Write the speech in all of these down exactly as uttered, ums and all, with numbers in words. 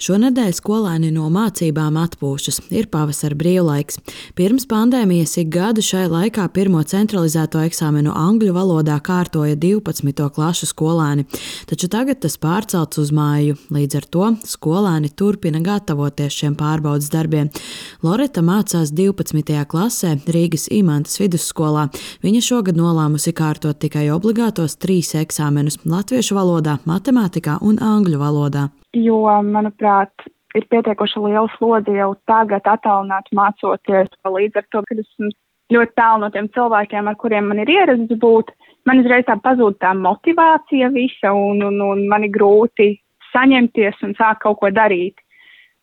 Šonedēļ skolēni no mācībām atpūšas, ir pavasara brīvlaiks. Pirms pandēmijas ik gadu šai laikā pirmo centralizēto eksāmenu angļu valodā kārtoja divpadsmito klašu skolēni, taču tagad tas pārcelts uz māju. Līdz ar to skolēni turpina gatavoties šiem pārbaudes darbiem. Loreta mācās divpadsmitajā klasē Rīgas Imantas vidusskolā. Viņa šogad nolēmusi kārtot tikai obligātos trīs eksāmenus – latviešu valodā, matemātikā un angļu valodā. Jo, manuprāt, ir pietiekoši liela slodze jau tagad attālināt mācoties. Līdz ar to, kad esmu ļoti tālu no tiem cilvēkiem, ar kuriem man ir ierasts būt, man uzreiz tā pazūd tā motivācija visa un, un, un man ir grūti saņemties un sākt kaut ko darīt.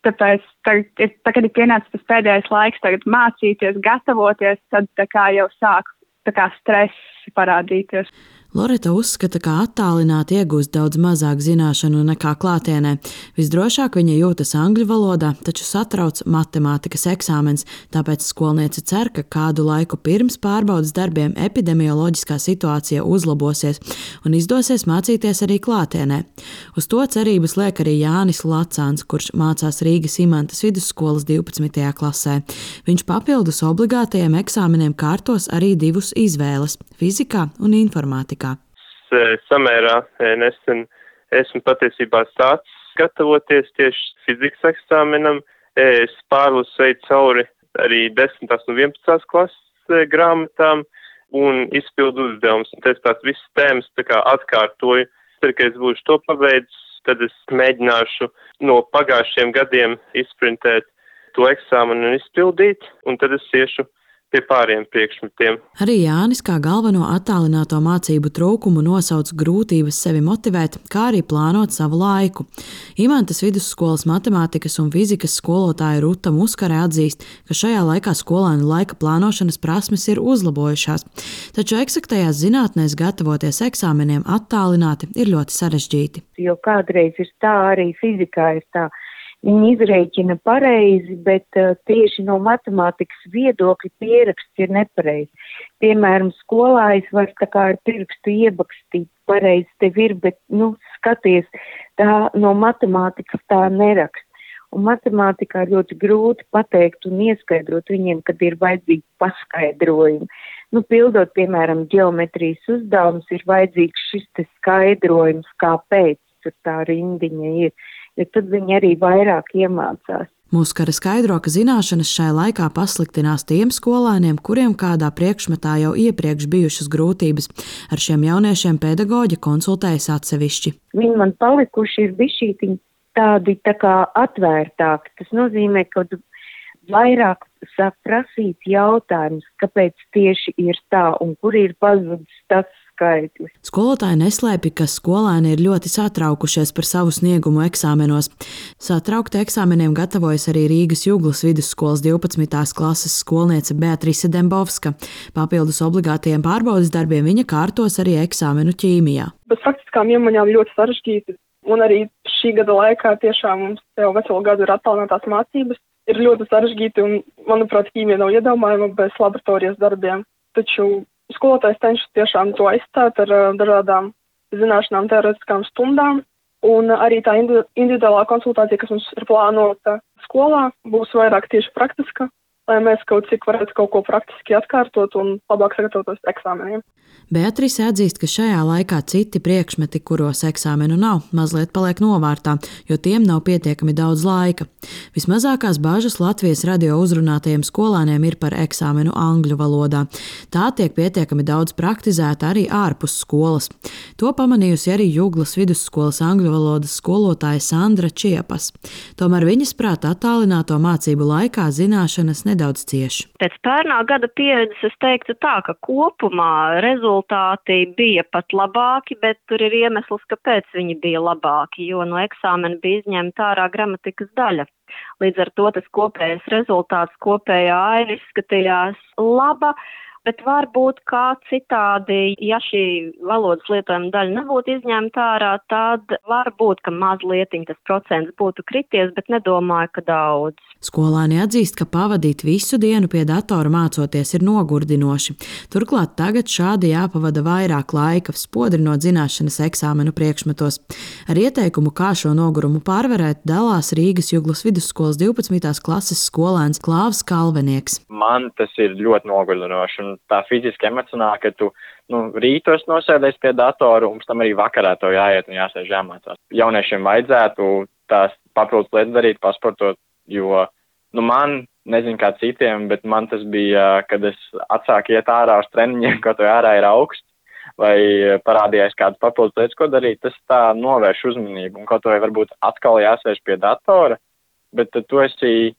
Tāpēc, tagad, tagad ir pienācis tas pēdējais laiks tagad mācīties, gatavoties, tad tā kā jau sāk tā kā stress parādīties. Loreta uzskata, ka attālināti iegūst daudz mazāk zināšanu nekā klātienē. Visdrošāk viņa jūtas angļu valodā, taču satrauc matemātikas eksāmens, tāpēc skolniece cer, ka kādu laiku pirms pārbaudes darbiem epidemioloģiskā situācija uzlabosies un izdosies mācīties arī klātienē. Uz to cerības liek arī Jānis Lacāns, kurš mācās Rīgas Imantas vidusskolas divpadsmitajā klasē. Viņš papildus obligātajiem eksāmeniem kārtos arī divus izvēles – fizikā un informātikā. Samērā nesen esmu patiesībā sācis gatavoties tieši fizikas eksāmenam. Es pārlasu veidu cauri arī desmitās un vienpadsmitās klases grāmatām un izpildu uzdevumus. Un es tās visas tēmas tā kā atkārtoju. Tad, kad es būšu to pabeidzis, tad es mēģināšu no pagājušiem gadiem izprintēt to eksāmenu un izpildīt, un tad es iešu pie pāriem priekšmetiem. Arī Jānis kā galveno attālināto mācību trūkumu nosauc grūtības sevi motivēt, kā arī plānot savu laiku. Imantas vidusskolas matemātikas un fizikas skolotāja Ruta Muskare atzīst, ka šajā laikā skolēnu laika plānošanas prasmes ir uzlabojušās, taču eksaktajās zinātnēs gatavoties eksāmeniem attālināti ir ļoti sarežģīti. Jo kādreiz ir tā, arī fizikā ir tā. Viņi izrēķina pareizi, bet uh, tieši no matemātikas viedokļa pieraksts ir nepareizi. Piemēram, skolā es varu tā kā ar pirkstu iebakstīt, pareizi tev ir, bet, nu, skaties, tā no matemātikas tā nerakst. Un matemātikā ļoti grūti pateikt un ieskaidrot viņiem, kad ir vajadzīgi paskaidrojumi. Nu, pildot, piemēram, ģeometrijas uzdevumus, ir vajadzīgs šis te skaidrojums, kāpēc tur tā rindiņa ir. Ja tad viņi arī vairāk iemācās. Muskare skaidro, ka zināšanas šai laikā pasliktinās tiem skolēniem, kuriem kādā priekšmetā jau iepriekš bijušas grūtības. Ar šiem jauniešiem pedagoģi konsultējas atsevišķi. Viņi man palikuši ir bišķītiņi tādi tā kā atvērtāki. Tas nozīmē, ka vairāk sāk prasīt jautājumus, kāpēc tieši ir tā un kur ir pazudis tas skaitlis. Skolotāji neslēpj, ka skolēni ir ļoti satraukušies par savu sniegumu eksāmenos. Satraukti eksāmeniem gatavojas arī Rīgas Juglas vidusskolas divpadsmitās klases skolniece Beatrise Dembovska. Papildus obligātajiem pārbaudes darbiem viņa kārtos arī eksāmenu ķīmijā. Bez faktiskām iemaņām ļoti sarežģīti, un arī šī gada laikā tiešām mums jau veselu gadu ir attālinātās mācības. Ir ļoti sarežģīti un, manuprāt, ķīmija nav iedomājama bez laboratorijas darbiem. Taču skolotājs cenšas tiešām to aizstāt ar uh, dažādām zināšanām, teorētiskām stundām. Un uh, arī tā individuālā konsultācija, kas mums ir plānota skolā, būs vairāk tieši praktiska, lai mēs kaut cik varētu kaut ko praktiski atkārtot un labāk sagatavotos eksāmeniem. Beatrise atzīst, ka šajā laikā citi priekšmeti, kuros eksāmenu nav, mazliet paliek novārtā, jo tiem nav pietiekami daudz laika. Vismazākās bažas Latvijas radio uzrunātajiem skolēniem ir par eksāmenu angļu valodā. Tā tiek pietiekami daudz praktizēta arī ārpus skolas. To pamanījusi arī Juglas vidusskolas angļu valodas skolotāja Sandra Čiepas. Tomēr viņas prāt attālināto mācību laikā zināšanas nedaudz cieši. Pēc pērnā gada pieredzes es teiktu tā, ka kopumā rezultāti Rezultāti bija pat labāki, bet tur ir iemesls, kāpēc viņi bija labāki, jo no eksāmena bija izņemta ārā gramatikas daļa. Līdz ar to tas kopējais rezultāts, kopējā aina izskatījās laba, bet varbūt kā citādi, ja šī valodas lietojuma daļa nebūtu izņemta ārā, tad varbūt, ka mazlietiņ tas procents būtu krities, bet nedomāju, ka daudz. Skolāni atzīst, ka pavadīt visu dienu pie datora mācoties ir nogurdinoši. Turklāt tagad šādi jāpavada vairāk laika, spodrinot zināšanas eksāmenu priekšmetos. Ar ieteikumu, kā šo nogurumu pārvarēt, dalās Rīgas Juglas vidusskolas divpadsmitās klases skolēns Klāvs Kalvenieks. Man tas ir ļoti nogurdinoši, un tā fiziski emocionāli, ka tu nu, rītos nosēdies pie datoru, un pēc tam arī vakarā to jāiet un jāsēž jāmācās. Jauniešiem vajadzētu tās papildus lietas darīt, pasportot, jo nu, man, nezinu kā citiem, bet man tas bija, kad es atsāku iet ārā uz treniņiem, kaut vai ārā ir augsts, vai parādījās kādas papildus lietas, ko darīt, tas tā novērš uzmanību, un kaut vai varbūt atkal jāsēž pie datora, bet tad tu esi,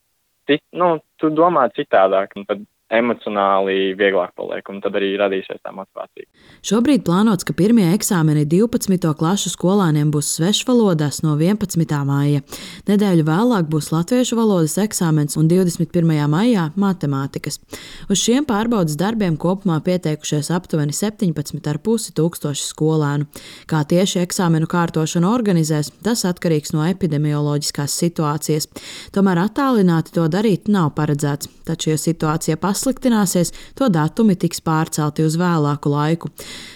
nu, tu domā citādāk, un tad emocionāli vieglāk paliek, un tad arī radīsies tā motivācija. Šobrīd plānots, ka pirmie eksāmeni divpadsmito klašu skolāniem būs svešvalodās no vienpadsmitā maija. Nedēļu vēlāk būs latviešu valodas eksāmens un divdesmit pirmajā maijā matemātikas. Uz šiem pārbaudas darbiem kopumā pieteikušies aptuveni septiņpadsmit ar pusi tūkstoši skolēnu. Kā tieši eksāmenu kārtošanu organizēs, tas atkarīgs no epidemioloģiskās situācijas. Tomēr attālināti to darīt nav paredzēts, taču, ja situācija pasliktināsies, to datumi tiks pārcelti uz vēlāku laiku.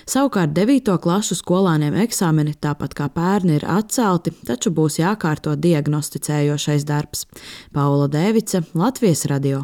Savukārt devīto klašu skolāniem eksāmeni, tāpat kā pērni, ir atcelti, taču būs jākārto diagnosticējošais darbs. Paula Dēvice, Latvijas radio.